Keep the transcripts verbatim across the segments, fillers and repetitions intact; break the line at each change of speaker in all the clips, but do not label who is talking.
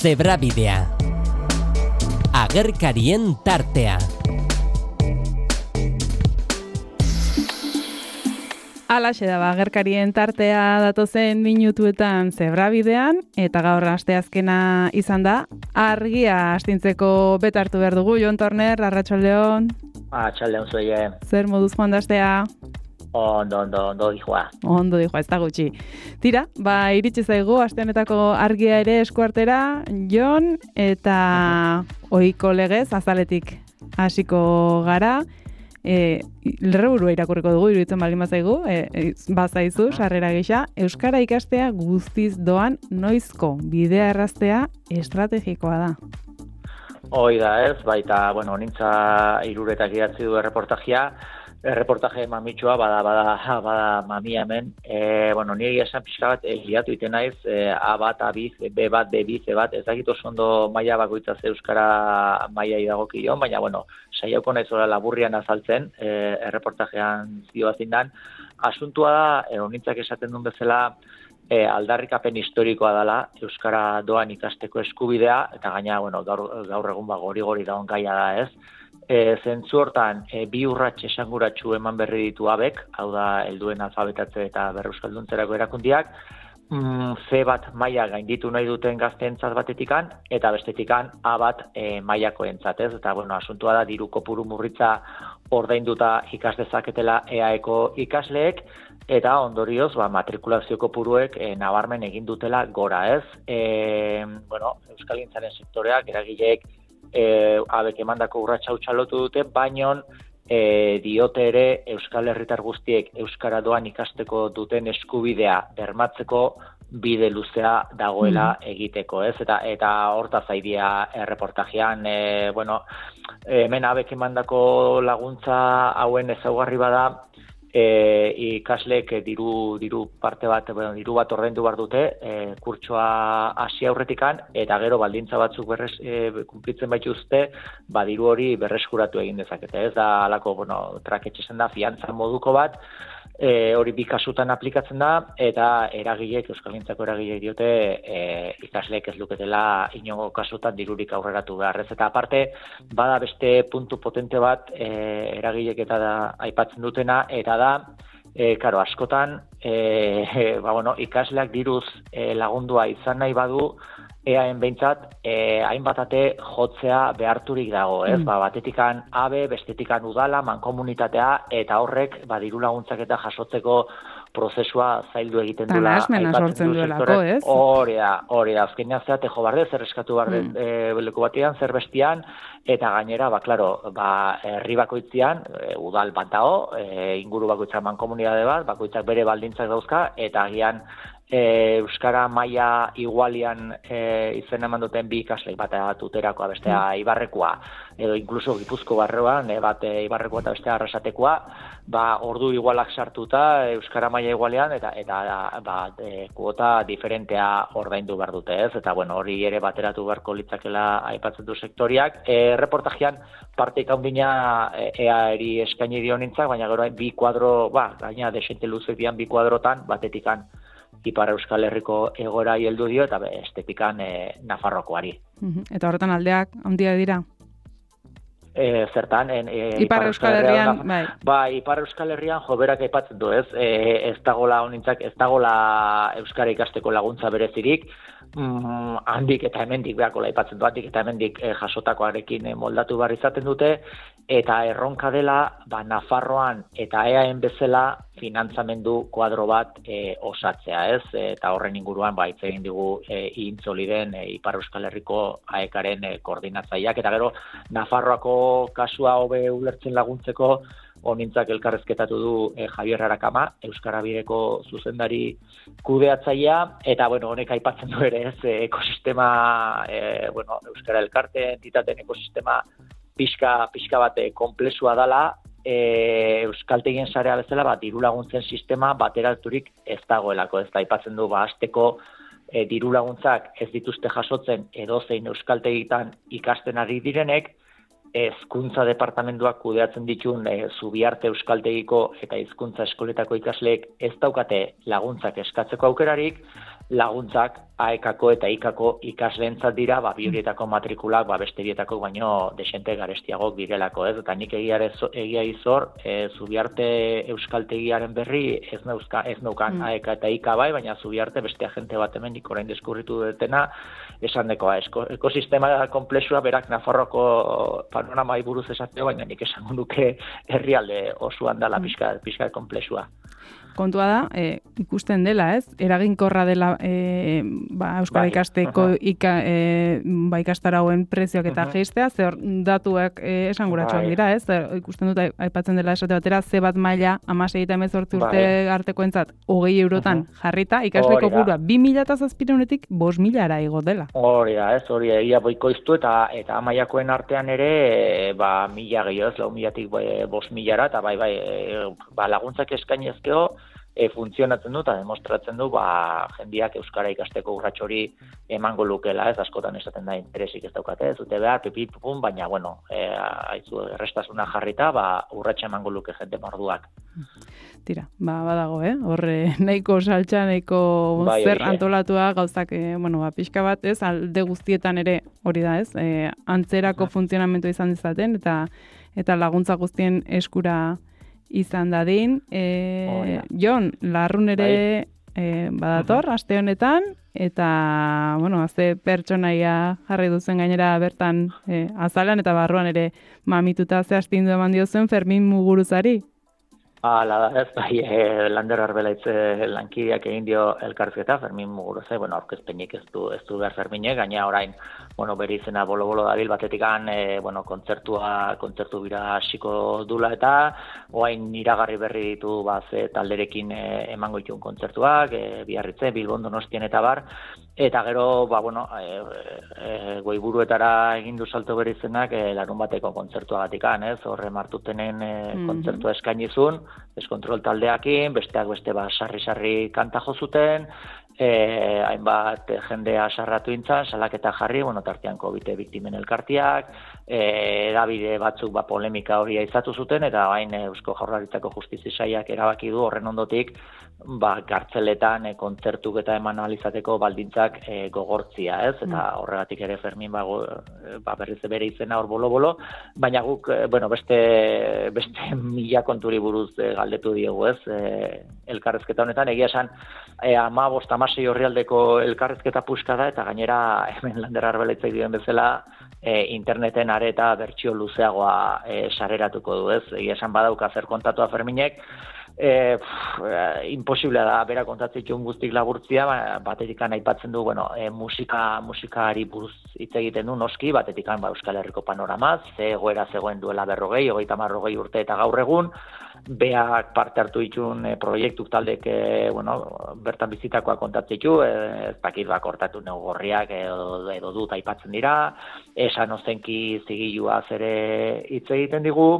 Zebrabidea. Agerkarien tartea.
Alaxe da, agerkarien tartea datozen minutuetan Zebrabidean, eta gaur asteazkena izan da. Argia astintzeko beta hartu behar dugu, Jon Torner, arratsaldeon.
Arratsaldeon zuei.
Zer moduz joan da astea?
Ondo, ondo, ondo dijoa.
Ondo dijoa, ez da gutxi. Tira, ba, iritsi zaigu, aste honetako argia ere eskuartera, Jon, eta ohiko legez, azaletik hasiko gara. E, Lerreburua irakurriko dugu, iruditzen baldin bazaigu, e, e, bazaizu, sarrera gisa, euskara ikastea guztiz doan noizko bidea erraztea estrategikoa da.
Hoi da ez, baita, bueno, nintza hiruretak idatzi du erreportajia, erreportaje mamitsua, bada, bada, bada mamia hemen, e, bueno, niri esan pixka bat, egiatu iten naiz, e, A bat, A biz, B bat, B biz, E bat, ez dakit oso ondo maila bakoitza ze euskara maila idagokion, baina, bueno, saiauko naiz ora laburrian azaltzen, e, erreportajean zioa zindan. Asuntua da, e, nintzak esaten duen bezala, e, aldarrikapen historikoa dela, euskara doan ikasteko eskubidea, eta gaina, bueno, gaur, gaur egun ba, gori-gori daun gaia da ez. E, zentzu hortan, e, bi urrats esanguratsu eman berri ditu abek, hau da, helduen alfabetatze eta berreuskalduntzerako erakundiak, mm, C bat maila gainditu nahi duten gazteentzat batetikan, eta bestetikan A bat e, mailakoentzat, ez? Eta, bueno, asuntua da, diru kopuru murritza ordainduta ikas dezaketela E A eko ikasleek, eta ondorioz, ba, matrikulazio kopuruek e, nabarmen egin dutela gora, ez? E, bueno, euskalgintzaren sektoreak, eragileek, E, abek emandako urratsa hau txalotu dute, baino e, diote ere Euskal Herritar guztiek euskara doan ikasteko duten eskubidea bermatzeko bide luzea dagoela egiteko, ez? Eta eta hortaz aidia erreportajean, e, bueno, hemen abek emandako laguntza hauen ezaugarri bada, E, ikasleek diru, diru parte bat, bueno, diru bat ordaindu behar dute, e, kurtsoa hasi aurretikan, eta gero baldintza batzuk berrez e, kumplitzen baituzte, ba diru hori berreskuratu egin dezakete. Ez da alako, bueno, traketxezen da, fiantza moduko bat, e, hori bi kasutan aplikatzen da, eta eragileek, euskalgintzako eragileek diote, e, ikasleek ez luketela inongo kasutan dirurik aurreratu beharrez. Eta aparte, bada beste puntu potente bat, e, eragileek eta da aipatzen dutena, eta da, e, karo, askotan, e, ba, bueno, ikasleak diruz e, lagundua izan nahi badu, eaen behintzat, e, hainbatate jotzea beharturik dago, ez? Mm. Ba, batetikan A B, bestetikan udala, mankomunitatea, eta horrek, ba, diru laguntzak eta jasotzeko prozesua zaildu egiten duela.
Tanasmena sortzen duelako, ez?
Hori da, hori da, azkenean zeate jo barde, zer eskatu barde mm. e, leku batean, zer bestian, eta gainera, ba, klaro, ba, herri bakoitzian, e, udal bat dago, e, inguru bakoitzak mankomunitate bat, bakoitzak bere baldintzak dauzka, eta agian E, euskara maila igualian e, izen eman duten bi ikasle, bat tuterakoa, bestea mm. Ibarrekoa, edo inkluso Gipuzko barruan, e, bat e, Ibarrekoa eta bestea Arrasatekoa, ba, ordu igualak sartuta euskara maila igualean, eta eta ba, e, kuota diferentea ordaindu behar dute, ez? Eta bueno, hori ere bateratu beharko litzakela aipatzen du sektoriak. E, reportajean parteik handina E A eri eskaini dio nintzak, baina gero bi kuadro, ba, gaina desente luzek dian bi kuadrotan, batetikan Ipar Euskal Herriko egora heldu dio, eta estetikan e, Nafarrokoari.
Eta horretan aldeak handia dira?
E, zertan, en, e,
Ipar, Ipar Euskal Herrian, bai.
Ba, Ipar Euskal Herrian joberak aipatzen du, ez? E, ez dagola honintzak, ez dagola euskara ikasteko laguntza berezirik, mm, handik eta hemendik beharko aipatzen du, handik eta hemendik e, jasotakoarekin e, moldatu behar izaten dute, eta erronka dela, ba, Nafarroan eta eaen bezala finantzamendu kuadro bat e, osatzea, ez? Eta horren inguruan, ba, hitz egin digu e, Intzoliden e, Ipar Euskal Herriko aekaren e, koordinatzaileak, eta gero Nafarroako kasua hobe ulertzen laguntzeko, honintzak elkarrezketatu du e, Javier Arakama, Euskara Bideko zuzendari kudeatzailea, eta bueno, honek aipatzen du ere, ez, ekosistema, e, bueno, Euskara Elkarte entitateen ekosistema pixka, pixka bat konplexua dela, e, euskaltegien sarea bezala, bat diru laguntzen sistema bateraturik ez dagoelako, ez da aipatzen du, ba, hasteko e, diru laguntzak ez dituzte jasotzen edozein euskaltegitan ikasten ari direnek, hezkuntza departamentuak kudeatzen ditun e, Zubiarte euskaltegiko eta hizkuntza eskoletako ikasleek ez daukate laguntzak eskatzeko aukerarik, laguntzak aekako eta ikako ikasleentzat dira, ba, bi horietako matrikulak, ba, beste bietako baino desente garestiagok direlako, ez? Eta nik egia, egia izor, e, Zubiarte euskaltegiaren berri, ez, neuzka, ez neukan mm. aeka eta ika bai, baina Zubiarte beste agente bat hemen nik orain deskurritu dutena, esan dekoa, esko, ekosistema komplexua berak Nafarroko panoramai buruz esateo, baina nik esango duke herrialde osoan dela pixka, pixka komplexua.
Kontua da, e, ikusten dela, ez? Eraginkorra dela e, ba, Euskara ikasteko uh-huh. ika, e, ba, ikastarauen prezioak eta uh-huh. geistea, ze hor datuak e, esanguratsuak dira, ez? Zer, ikusten dut, aipatzen dela esate batera, ze bat maila, hamasei eta hemezortzi urte artekoentzat, hogei eurotan uh-huh. jarrita, ikasleko burua, bi mila eta zazpirehunetik bost milara igo dela.
Hori da, ez, hori egia boikoiztu eta eta amaiakoen artean ere, e, ba, mila gehiago, ez, lau milatik bost milara, eta bai, bai, e, ba, laguntzak eskainezkeo, E, funtzionatzen du eta demostratzen du ba, jendiak euskara ikasteko urrats hori emango lukela, ez askotan esaten da interesik ez daukate, ez dute behar, pipi, pupun, baina, bueno, e, haizu errestasuna jarrita, ba, urratsa emango luke jende morduak.
Tira, ba, badago, eh? Horre, nahiko saltza, nahiko bai, zer antolatua gauzak, e, bueno, ba, pixka bat, ez, alde guztietan ere hori da, ez, e, antzerako uh-huh. funtzionamentu izan dezaten, eta eta laguntza guztien eskura izan dadin. E, oh, yeah. Jon, Larrun ere e, badator, uh-huh. aste honetan, eta, bueno, azte pertsonaia jarri duzen gainera bertan e, azalan, eta barruan ere mamituta ze astindu eman diozen Fermin Muguruzari.
Hala da, ez, bai, e, Lander Arbelaitze lankideak egin dio elkarrizketa, Fermin Muguruza, bueno, aurkezpenik ez du, ez du behar Ferminek, gaina orain, bueno, bere izena bolo-bolo dabil batetikan, e, bueno, kontzertua, kontzertu bira hasiko dula eta, orain iragarri berri ditu, ba, ze talderekin e, emango ditun kontzertuak, e, Biarritze, Bilbon, Donostien eta bar, eta gero, ba, bueno, e, e, goiburuetara egin du salto bere izenak, e, larun bateko kontzertuagatikan, ez, horre martutenen e, mm-hmm. kontzertua eskainizun, deskontrol taldeakin, besteak beste ba sarri-sarri kanta jo zuten, eh hainbat jendea sarratu intzan, salaketa jarri, bueno, tartean Covid biktimen elkartiak, eh edabide batzuk ba polemika hori izatu zuten eta orain Eusko Jaurlaritzako Justizia Sailak erabaki du horren ondotik ba kartzeletan e, kontzertuk eta eman ahal izateko baldintzak e, gogortzia, ez? Eta horregatik ere Fermin ba, go, ba berriz bere izena hor bolo-bolo, baina guk e, bueno, beste beste mila konturi buruz e, galdetu diegu, ez? E, elkarrezketa honetan egia esan e, hamabost hamasei orrialdeko elkarrezketa puska da eta gainera hemen Lander Arbelaitze dioen bezala e, interneten areta bertsio luzeagoa e, sareratuko du, ez? Egia esan badauka zer kontatua Ferminek, E, pff, imposiblea da bera kontatzeko guztik laburtzia, ba, batetikan aipatzen du, bueno, e, musika musikari buruz hitz egiten du noski, batetikan ba, Euskal Herriko panoramaz, ze egoera zegoen duela berrogei, hogeita hamar hogei urte eta gaur egun, beak parte hartu ditun e, proiektuk taldek, e, bueno, bertan bizitakoa kontatzeko, e, ez dakit bak hortatu neugorriak edo, edo dut aipatzen dira, esan ozenki zigilua zere hitz egiten digu,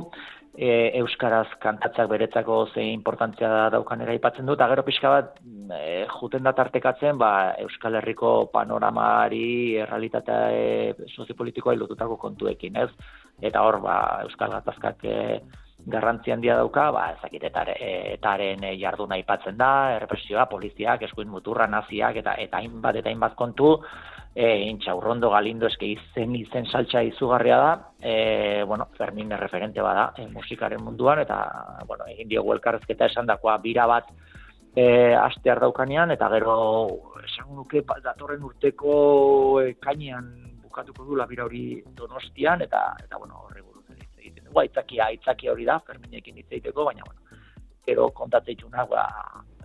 E, euskaraz kantatzak beretzako ze importantzia daukan ere aipatzen dut, eta gero pixka bat e, juten da tartekatzen ba, Euskal Herriko panoramari errealitatea e, soziopolitikoa lotutako kontuekin, ez? Eta hor, ba, Euskal Gatazkak e, garrantzi handia dauka, ba, ezakit, etaren e, jarduna aipatzen da, errepresioa, poliziak, eskuin muturra, naziak, eta eta hainbat eta hainbat kontu, E, intxaurrondo galindo eske izen izen saltza izugarria da, e, bueno, Fermin referente bada e, musikaren munduan, eta bueno, egin diogu elkarrezketa esandakoa bira bat e, astear daukanean, eta gero esan nuke datorren urteko ekainean bukatuko dula bira hori Donostian, eta eta bueno, horri buruz hitz egiten dugu, aitzakia, aitzakia hori da, Ferminekin hitz egiteko, baina bueno, gero kontatzeitunak, ba,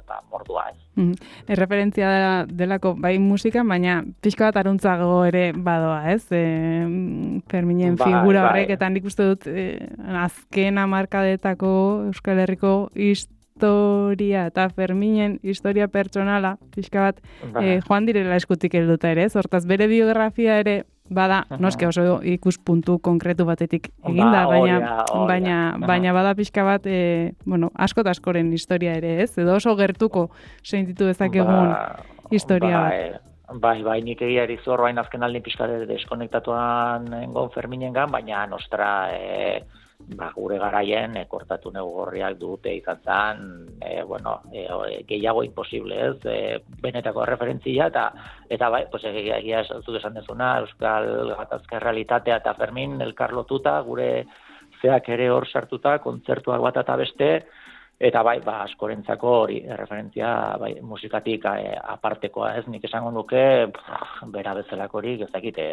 eta mordua ez.
Mm. Erreferentzia dela, delako bai musika, baina pixka bat aruntzago ere badoa, ez? E, Ferminen bai, figura horrek, bai. Eta nik uste dut e, azken hamarkadetako Euskal Herriko historia eta Ferminen historia pertsonala, pixka bat bai. e, joan direla eskutik helduta ere, ez? Hortaz bere biografia ere bada, uh-huh. noske oso ikuspuntu konkretu batetik eginda, ba, baina, oria, oria. baina, uh-huh. baina bada pixka bat, e, bueno, asko eta askoren historia ere, ez? Edo oso gertuko sentitu dezakegun ba, historia
ba,
bat.
Bai, bai, nik egia erizu hor bain azken aldin pixka deskonektatuan engon Ferminengan, baina nostra e, ba, gure garaien e, kortatu negorriak dute izan zen, e, bueno, e, gehiago imposible, ez, e, benetako referentzia, eta, eta bai, pues, egia zuk esan dezuna, Euskal Gatazka Realitatea eta Fermin elkarlotuta, gure zeak ere hor sartuta, kontzertuak bat eta beste, eta bai, ba, askorentzako hori referentzia bai, musikatik e, apartekoa, ez, nik esango nuke, pff, bera bezalakorik ez dakit e,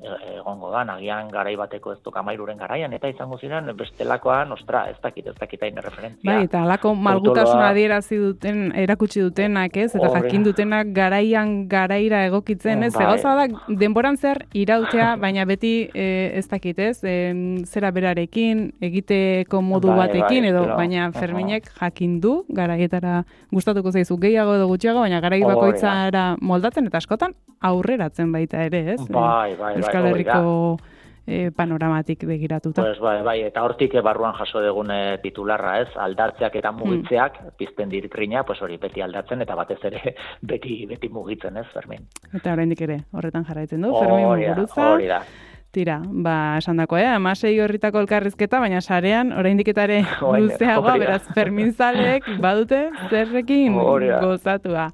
e, egongo da, nagian garai bateko ez tokamairuren garaian, eta izango ziren bestelakoan, ostra, ez dakit, ez dakit hain referentzia.
Bai, eta alako malgutasuna adierazi duten, erakutsi dutenak, ez, eta Ore. jakin dutenak garaian garaira egokitzen, ez, bai. Egoza da, denboran zer irautea, baina beti e, ez dakit, ez, e, zera berarekin, egiteko modu bai, batekin, bai, edo, pero, baina Ferminek jakin du, garaietara gustatuko zaizu gehiago edo gutxiago, baina garai bakoitzara moldatzen eta askotan aurreratzen baita ere, ez?
Bai, bai,
Euskal Herriko eh, panoramatik begiratuta.
Pues bai, bai, eta hortik barruan jaso degune titularra, ez? Aldartzeak eta mugitzeak hmm. pizten dirikrina, pues hori beti aldatzen eta batez ere beti beti mugitzen, ez, Fermin? Eta
oraindik ere horretan jarraitzen du, Fermin Muguruza.
Hori da.
Tira, ba, esan dako, eh? Amasei horritako elkarrizketa, baina sarean, oraindik etare luzeagoa, beraz, Ferminzalek badute zerrekin gozatua.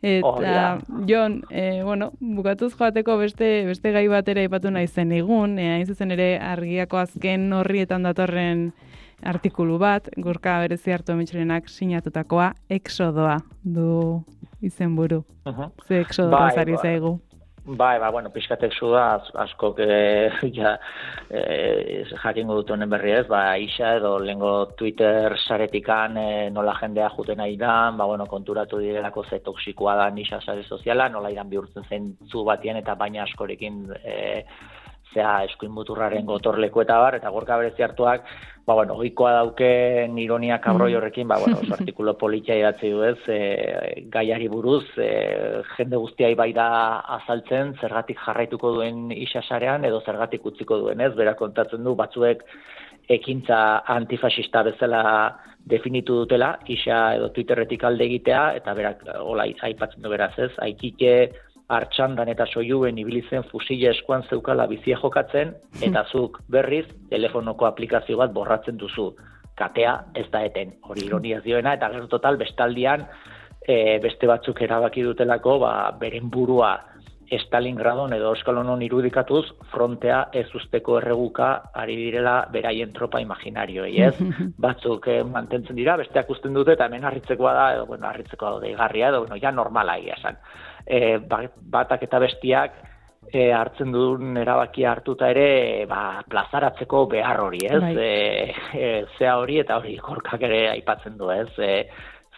Eta, Jon, eh, bueno, bukatuz joateko beste beste gai batera ipatu nahi zen egun, eh, hain zuzen ere argiako azken horrietan datorren artikulu bat, Gorka Berezi hartu emitxerenak sinatutakoa, Exodoa du izenburu. Uh-huh. Ze Exodoa zari zaigu.
Bai, ba, bueno, pixkatek zu da, asko e, ja, e, jakingo dut honen berri ez, ba, isa edo lengo Twitter saretikan e, nola jendea juten nahi da, ba, bueno, konturatu direlako ze toksikoa da isa sare soziala, nola iran bihurtzen zen zu batien eta baina askorekin e, zea eskuin muturraren gotorleku eta bar, eta Gorka Berezi hartuak, ba, bueno, ohikoa dauken ironia kabroi horrekin, ba, bueno, oso artikulo politia idatzi du ez, e, gaiari buruz, e, jende guztiai bai da azaltzen, zergatik jarraituko duen isasarean, edo zergatik utziko duen ez, bera kontatzen du, batzuek ekintza antifasista bezala definitu dutela, isa edo Twitterretik alde egitea, eta berak, hola, aipatzen du beraz ez, aikike, Artxandan eta soiluen ibilitzen fusile eskuan zeukala bizia jokatzen, eta zuk berriz telefonoko aplikazio bat borratzen duzu. Katea ez da eten, hori ironiaz dioena, eta gero total bestaldian e, beste batzuk erabaki dutelako, ba, beren burua Stalingradon edo Euskalonon irudikatuz, frontea ez usteko erreguka ari direla beraien tropa imaginarioei, ez? Batzuk eh, mantentzen dira, besteak usten dute, eta hemen harritzekoa da, edo, bueno, harritzekoa da deigarria, edo, bueno, ja normala egia esan. E, batak eta bestiak e, hartzen duen erabakia hartuta ere ba, plazaratzeko behar hori, ez? Bai. E, e, zea hori eta hori Gorkak ere aipatzen du, ez? E,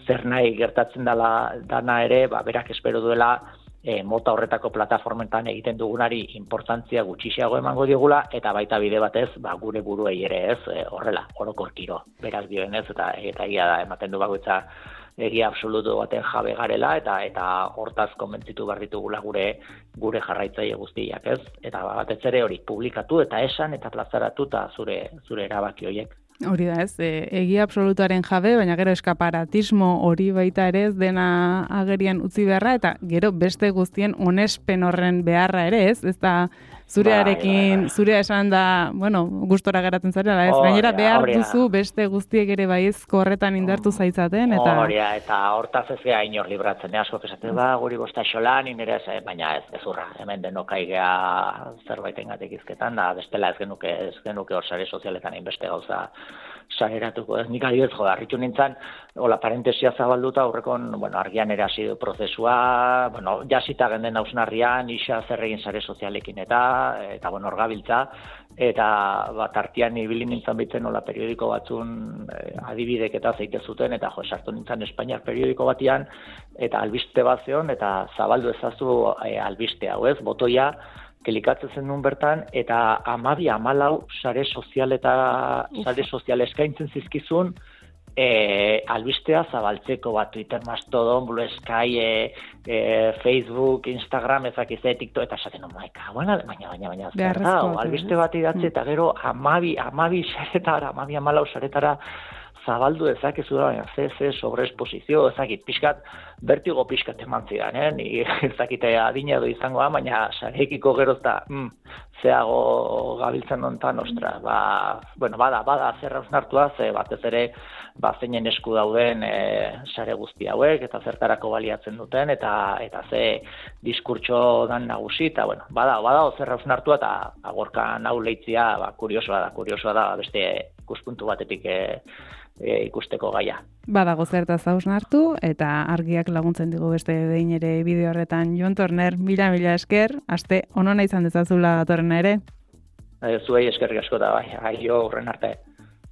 zer nahi gertatzen dala, dana ere, ba, berak espero duela e, mota horretako plataformetan egiten dugunari importantzia gutxiago emango diogula, eta baita bide batez ba, gure buruei ere, ez? E, horrela, orokorkiro, berak dioenez, eta eta egia da, ematen du bakoitza egia absolutu baten jabe garela eta eta hortaz konbentzitu behar ditugula gure gure jarraitzaile guztiak, ez? Eta batez ere hori publikatu eta esan eta plazaratu eta zure zure erabaki horiek.
Hori da, ez? E, egia absolutuaren jabe, baina gero eskaparatismo hori baita ere ez dena agerian utzi beharra eta gero beste guztien onespen horren beharra ere, ez? Ez da zurearekin, zurea esan da, bueno, gustora geratzen zarela, ez? Gainera behar duzu beste guztiek ere baiezko horretan indartu zaitzaten, eta...
Horia, eta hortaz ez geha inor libratzen, asko esaten ba, guri bosta xolan, inere ez, baina ez, ez urra, hemen denok aigea zerbaiten gatik izketan, da bestela ez genuke, ez genuke hor sare sozialetan inbeste gauza sageratuko, ez nik adibidez, jo, harritu nintzen, hola, parentesia zabalduta, aurrekon, bueno, argian ere hasi prozesua, bueno, jasita genden hausnarrian, isa zer egin sare sozialekin eta, eta bueno, orgabiltza, eta bat artean ibili nintzen bitzen hola periodiko batzun eh, adibidek eta zeite zuten, eta jo, sartu nintzen Espainiar periodiko batian, eta albiste bat zeon, eta zabaldu ezazu eh, albiste hau ez, botoia, kelikatzen zen nun bertan, eta amabi amalau sare sozial eta sare sozial eskaintzen zizkizun, e, albistea zabaltzeko bat, Twitter, Mastodon, Blue Sky, e, e, Facebook, Instagram, ezakize, TikTok, eta esaten non, maika, baina, baina, baina, baina, baina, albiste bat idatzi, eta gero amabi, amabi saretara, amabi amalau saretara, zabaldu ezakezu da, baina ze, ze sobreesposizio, ezakit, pixkat, bertigo pixkat eman zidan, eh? Ni ezakite adina edo izangoa, baina sarekiko geroz da, mm, zeago gabiltzen dontan, ostra, ba, bueno, bada, bada zer hausnartua, ze batez ere, ba, zeinen esku dauden e, sare guzti hauek, eta zertarako baliatzen duten, eta eta ze diskurtso dan nagusi, eta, bueno, bada, bada zer hausnartua, eta agorka nau leitzia, ba, kuriosoa da, kuriosoa da, beste ikuspuntu batetik e, e, ikusteko gaia.
Badago zertaz hausnartu, eta argiak laguntzen digu beste behin ere bideo horretan. Jon Torner, mila mila esker, aste onona izan dezazula datorrena ere.
Zuei eskerrik asko da, bai, aio horren arte.